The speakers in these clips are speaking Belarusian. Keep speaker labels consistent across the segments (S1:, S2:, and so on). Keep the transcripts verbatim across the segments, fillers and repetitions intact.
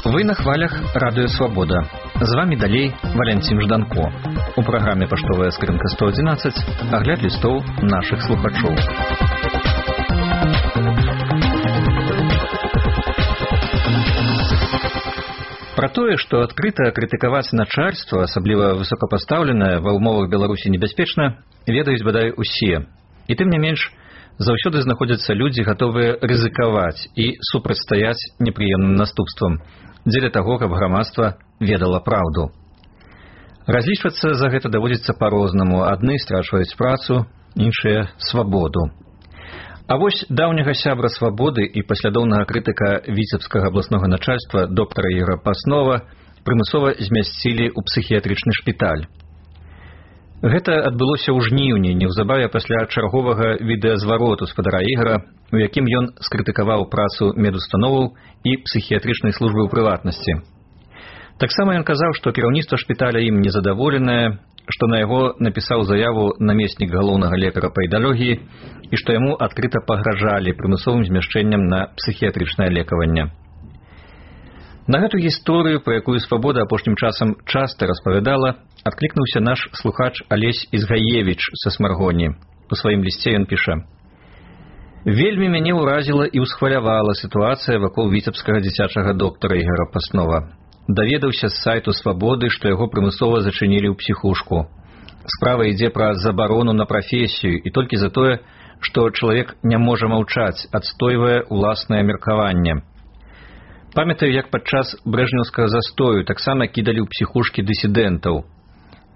S1: Вы на хвалях Радыё Свабода. З вами далей Валянцін Жданко. У праграме «Паштовая скрынка сто адзінаццаць» агляд лістоў нашых слухачоў. Пра тое, што адкрыта крытыкаваць начальства, асабліва высокапастаўленае, ва ўмовах Беларусі небяспечна, ведаюць бадай усе. І тым не менш, заўсёды знаходзяцца людзі, гатовыя рызыкаваць і супрацьстаяць непрыемным наступствам, дзеля таго, каб грамадства ведала праўду. Разлічвацца за гэта даводзіцца па-рознаму. Адны страчваюць працу, іншыя свабоду. А вось даўняга сябра свабоды і паслядоўнага крытыка віцебскага абласнога начальства доктара Ігора Паснова прымусова змясцілі ў псіхіятрычны шпіталь. Гэта адбылося ў жніўні, неўзабаве пасля чарговага відэазвароту спадара Ігара, у якім ён скрытыкаваў працу медустановаў і псіхіятрычнай службы ў прыватнасці. Таксама ён казаў, што кіраўніцтва шпіталя ім незадаволенае, што на яго напісаў заяву намеснік галоўнага лекара па ідалогіі і што яму адкрыта пагражалі прымусовым змяшчэннем на псіхіятрычнае лекаванне. На гэту гісторыю, пра якую Свабода апошнім часам часта распавядала, адклікнуўся наш слухач Алесь Ізгаевіч са Смаргоні. У сваім лісце ён піша: «Вельмі мяне ўразіла і ўсхвалявала сітуацыя вакол віцебскага дзіцячага доктара Ігора Паснова. Даведаўся з сайту Свабоды, што яго прымусова зачынілі ў псіхушку. Справа ідзе пра забарону на прафесію і толькі за тое, што чалавек не можа маўчаць, адстойвае ўласнае меркаванне. Памятаю, як падчас брэжнеўскага застою таксама кідалі ў псіхушкі дысідэнтаў.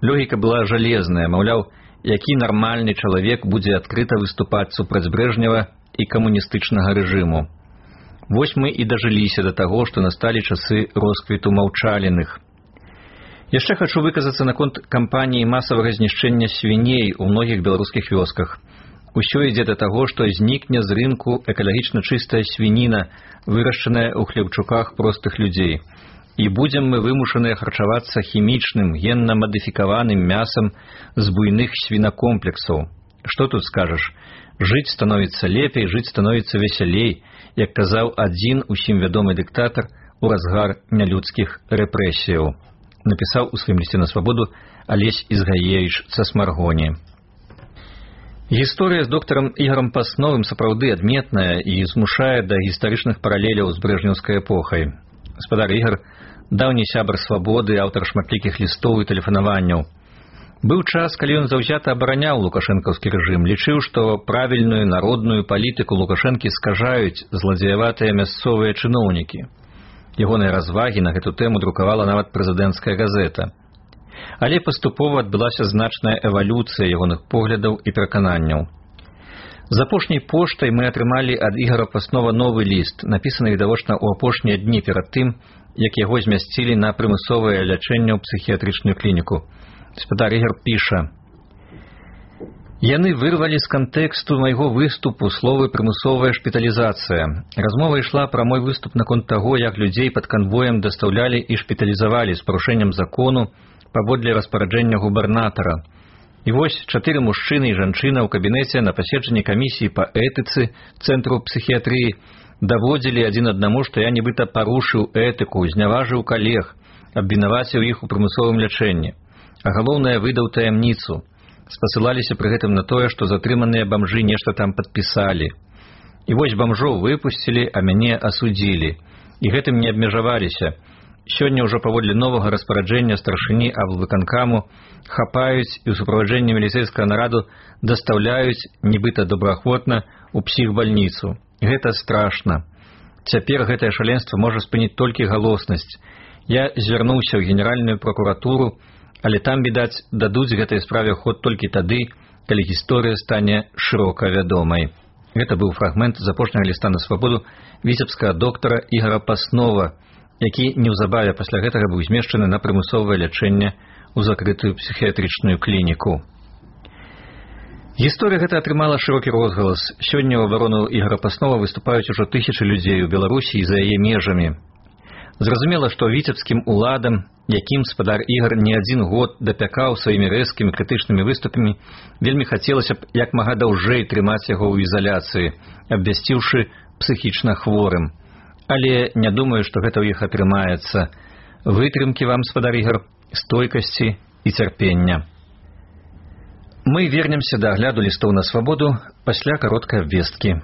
S1: Логіка была жалезная, маўляў, які нармальны чалавек будзе адкрыта выступаць супраць Брэжнева і камуністычнага рэжыму. Вось мы і дажыліся да таго, што насталі часы росквіту маўчаліных. Яшчэ хачу выказацца наконт кампаніі масавага знішчэння свіней у многіх беларускіх вёсках. Усё ідзе да таго, што знікне з рынку экалагічна чыстая свініна, вырашчаная ў хлебчуках простых людзей. І будзем мы вымушаныя харчавацца хімічным, генна-мадыфікаваным мясам з буйных свінакомплексаў. Што тут скажаш? Жыць становіцца лепей, жыць становіцца весялей, як казаў адзін усім вядомы дыктатар у разгар нялюдскіх рэпрэсіяў. Напісаў у сваім лісце на Свабоду Алесь Ізгаевіч са Смаргоні. Гісторыя з доктарам Ігорам Пасновым сапраўды адметная і змушае да гістарычных паралеляў з брэжнеўскай эпохай. Спадар Ігор – даўні сябар Свабоды, аўтар шматлікіх лістоў і тэлефанаванняў. Быў час, калі ён заўзята абараняў лукашэнкаўскі рэжым, лічыў, што правільную народную палітыку Лукашэнкі скажаюць зладзеяватыя мясцовыя чыноўнікі. Ягоныя развагі на гэту тэму друкавала нават прэзідэнцкая газета. Але паступова адбылася значная эвалюцыя ягоных поглядаў і перакананняў. З апошняй поштай мы атрымалі ад Ігора Паснова новы ліст, напісаны відавочна ў апошнія дні перад тым, як яго змясцілі на прымусовае лячэнне ў псіхіятрычную клініку. Спадар Ігор піша: «Яны вырвалі з кантэксту майго выступу словы «прымусовая шпіталізацыя». Размова ішла пра мой выступ наконт таго, як людзей пад канвоем дастаўлялі і шпіталізавалі з парушэннем закону паводле распараджэння губернатара. І вось чатыры мужчыны і жанчына ў кабінеце на паседжанні камісіі па этыцы Цэнтру псіхіятрыі даводзілі адзін аднаму, што я нібыта парушыў этыку, зняважыў калег, абвінаваціў іх у прымусовым лячэнні. А галоўнае, выдаў таямніцу. Спасылаліся пры гэтым на тое, што затрыманыя бамжы нешта там падпісалі. І вось бамжоў выпусцілі, а мяне асудзілі. І гэтым не абмежаваліся. Сёння ўжо паводле новага распараджэння старшыні аблвыканкаму хапаюць і ў суправаджэнні міліцэйскага нараду дастаўляюць, нібыта добраахвотна, у псіхбальніцу. Гэта страшна. Цяпер гэтае шаленства можа спыніць толькі галоснасць. Я звярнуўся ў генеральную пракуратуру, але там, відаць, дадуць гэтай справе ход толькі тады, калі гісторыя стане шырока вядомай». Гэта быў фрагмент з апошняга ліста на Свабоду віцебскага доктара Ігора Паснова, які неўзабаве пасля гэтага быў змешчаны на прымусовае лячэнне ў закрытую псіхіятрычную клініку. Гісторыя гэта атрымала шырокі розгалас. Сёння ў абарону Ігора Паснова выступаюць ужо тысячы людзей у Беларусі і за яе межамі. Зразумела, што віцебскім уладам, якім спадар ігр не адзін год дапякаў сваімі рэзкімі крытычнымі выступамі, вельмі хацелася б як мага даўжэй трымаць яго ў ізаляцыі, абвясціўшы псіхічна хворым. Але не думаю, што гэта ў іх атрымаецца. Вытрымкі вам, спадар ігр, стойкасці і цярпення. Мы вернемся да агляду лістоў на свабоду пасля кароткай абвесткі.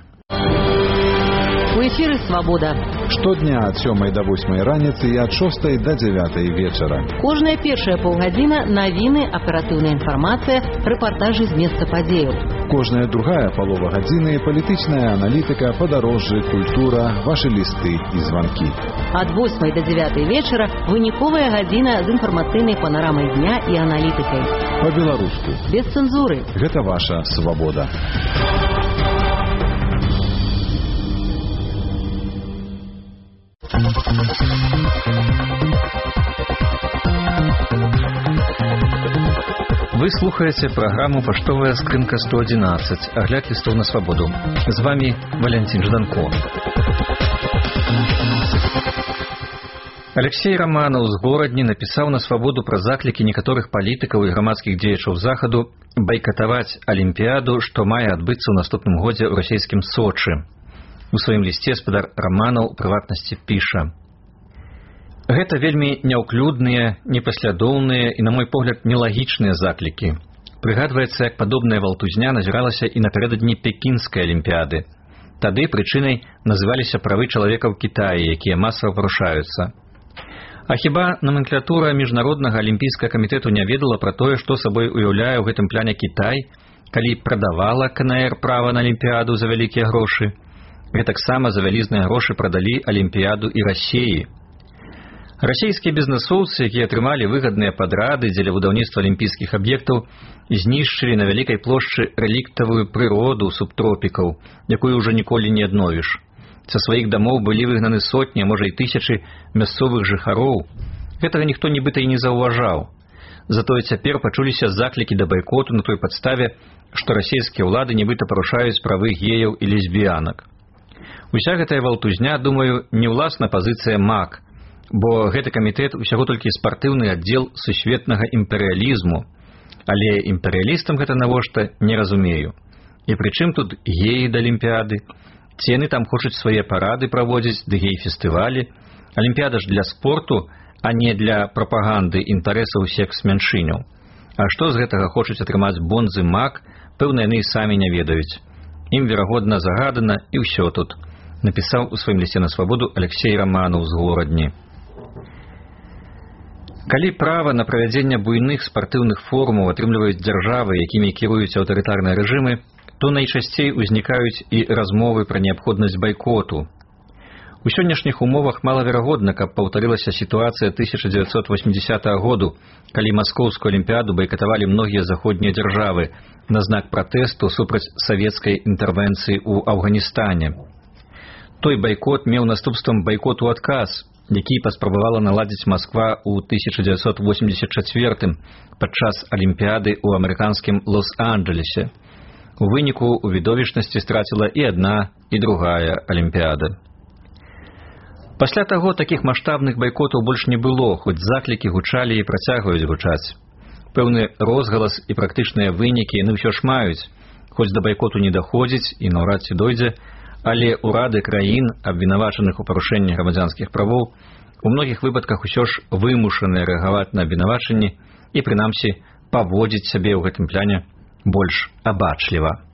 S2: У эфіры «Свабода».
S3: Штодня ад сёмай да восьмай раніцы і ад шостай да дзявятай вечара.
S2: Кожная першая паўгадзіна навіны, аператыўная інфармацыя, рэпартажы з месца падзеяў.
S3: Кожная другая палова гадзіны палітычная аналітыка, падарожжы, культура, вашы лісты і званкі.
S2: Ад восьмай да дзявятай вечара выніковая гадзіна з інфармацыйнай панарамай дня і аналітыкай.
S3: Па-беларуску.
S2: Без цэнзуры.
S3: Гэта ваша свабода.
S1: Вы слухаете праграму «Паштовая скрынка сто одиннадцать», агляд лістоў на свабоду. З вами Валентин Жданко. Алексей Романов з Горадні напісаў на свабоду пра заклікі некаторых палітыкаў і грамадскіх дзеячаў захаду байкатаваць Алімпіяду, што мае адбыцца ў наступным годзе ў расійскім Сочы. У сваім лісце спадар Романов у прыватнасці піша: «Гэта вельмі няўклюдныя, непаслядоўныя і, на мой погляд, нелагічныя заклікі. Прыгадваецца, як падобная валтузня назіралася і напярэдадні Пекінскай алімпіяды. Тады прычынай называліся правы чалавека ў Кітаі, якія масава парушаюцца. А хіба номенклатура міжнароднага алімпійскага камітэту не ведала пра тое, што сабой уяўляе ў гэтым пляне Кітай, калі прадавала ка эн эр права на алімпіяду за вялікія грошы? Гэтаксама за вялізныя грошы прадалі алімпіяду і Расіі. Расійскія бізнесоўцы, якія атрымалі выгадныя падрады дзеля будаўніцтва алімпійскіх аб'ектаў, знішчылі на вялікай плошчы рэліктавую прыроду субтропікаў, якую ўжо ніколі не адновіш. Са сваіх дамоў былі выгнаны сотні, а можа і тысячы мясцовых жыхароў. Гэтага ніхто нібыта і не заўважаў. Затое цяпер пачуліся заклікі да байкоту на той падставе, што расійскія ўлады нібыта парушаюць правы геяў і лесбіянак. Уся гэтая валтузня, думаю, не ўласна пазіцыя МАК, бо гэты камітэт усяго толькі спартыўны аддзел сусветнага імперыялізму. Але імперыялістам гэта навошта, не разумею. І прычым тут геі да алімпіяды? Ці яны там хочуць свае парады праводзіць, ды гей-фестывалі? Алімпіяда ж для спорту, а не для прапаганды інтарэсаў секс-мяншыняў. А што з гэтага хочуць атрымаць бонзы МАК, пэўна, яны і самі не ведаюць. Ім, верагодна, загадана, і ўсё тут, напісаў у сваім лісце на свабоду Алексей Романов з Горадні. Калі права на правядзенне буйных спартыўных форумаў атрымліваюць дзяржавы, якімі кіруюць аўтарытарныя рэжымы, то найчасцей узнікаюць і размовы пра неабходнасць байкоту. У сённяшніх умовах малаверагодна, каб паўтарылася сітуацыя тысяча дзевяцьсот восьмідзясятага году, калі маскоўскую алімпіяду байкатавалі многія заходнія дзяржавы на знак пратэсту супраць савецкай інтэрвенцыі ў Афганістане. Той байкот меў наступствам байкоту адказ, які паспрабавала наладзіць Масква ў тысяча дзевяцьсот восемьдесят чацвёртым падчас алімпіяды ў амерыканскім Лос-Анджелесе. У выніку у відовішчнасці страціла і адна, і другая алімпіяда. Пасля таго такіх маштабных байкотаў больш не было, хоць заклікі гучалі і працягваюць гучаць. Пэўны розгалас і практычныя вынікі яны ўсё ж маюць, хоць да байкоту не даходзіць і наўрад ці дойдзе, але ўрады краін, абвінавачаных у парушэнні грамадзянскіх правоў, у многіх выпадках усё ж вымушаныя рэагаваць на абвінавачанні і, прынамсі, паводзіць сябе ў гэтым пляне больш абачліва.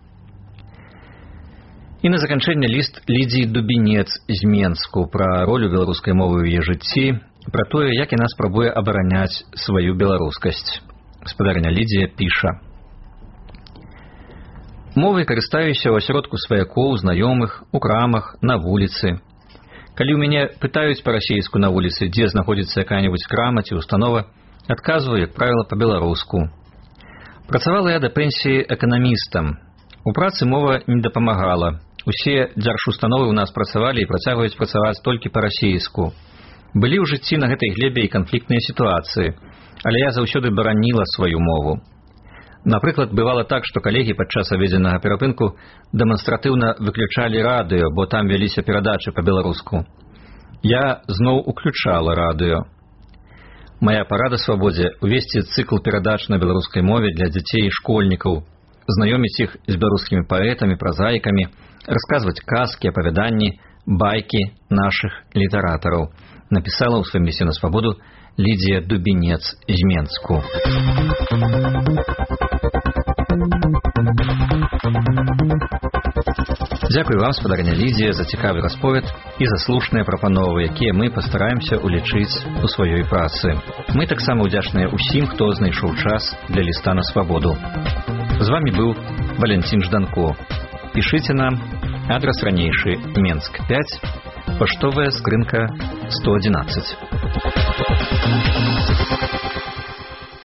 S1: І на заканчэнне ліст Лідзіі Дубінец з Менску пра ролю беларускай мовы ў яе жыцці, пра тое, як яна спрабуе абараняць сваю беларускасць. Гаспадарыня Лідзія піша: «Мовай карыстаюся ў асяродку сваякоў, знаёмых, у крамах, на вуліцы. Калі ў мяне пытаюць па-расейску на вуліцы, дзе знаходзіцца якая-небудзь крама ці установа, адказваю, як правіла, па-беларуску. Працавала я да пенсіі эканамістам. У працы мова не дапамагала. Усе дзяржустановы ў нас працавалі і працягваюць працаваць толькі па-расейску. Былі ў жыцці на гэтай глебе і канфліктныя сітуацыі, але я заўсёды бараніла сваю мову. Напрыклад, бывала так, што калегі падчас абедзеннага перапынку дэманстратыўна выключалі радыё, бо там вяліся перадачы па-беларуску. Я зноў уключала радыё. Мая парада свабодзе увесці цыкл перадач на беларускай мове для дзяцей і школьнікаў, знаёміць іх з беларускімі паэтамі, празаікамі, расказваць казкі, апавяданні, байкі нашых літаратараў, напісала ў сваім лісце на свабоду Лідія Дубінец з Менску. Дзякуй вам, спадарня Лідія, за цікавы расповед і за слушныя прапановы, якія мы пастараемся улічыць у сваёй працы. Мы таксама ўдзячныя ўсім, хто знайшоў час для ліста на свабоду. З вами быў Валентин Жданко. Пішыце нам, адрас ранейшы Менск пяць, паштовая скрынка сто адзінаццаць.